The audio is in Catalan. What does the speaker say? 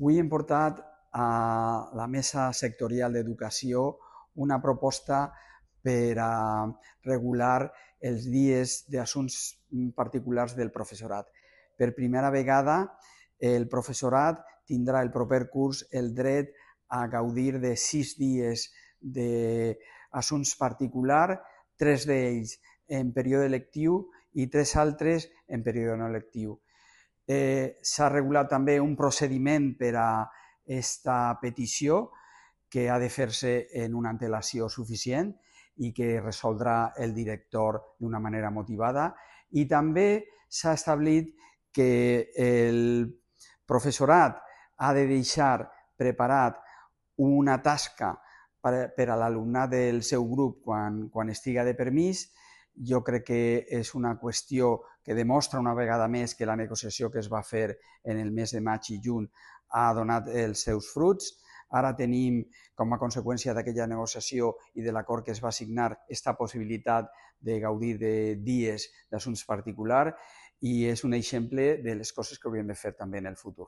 Avui hem portat a la Mesa Sectorial d'Educació una proposta per a regular els dies d'assumptes particulars del professorat. Per primera vegada, el professorat tindrà el proper curs el dret a gaudir de 6 dies d'assumptes particulars, 3 d'ells en període lectiu i 3 altres en període no lectiu. S'ha regulat també un procediment per a aquesta petició que ha de fer-se en una antelació suficient i que resoldrà el director d'una manera motivada, i també s'ha establit que el professorat ha de deixar preparat una tasca per a l'alumnat del seu grup quan estiga de permís. Jo crec que és una qüestió que demostra una vegada més que la negociació que es va fer en el mes de maig i juny ha donat els seus fruits. Ara tenim, com a conseqüència d'aquella negociació i de l'acord que es va signar, aquesta possibilitat de gaudir de dies d'assumptes particulars, i és un exemple de les coses que hauríem de fer també en el futur.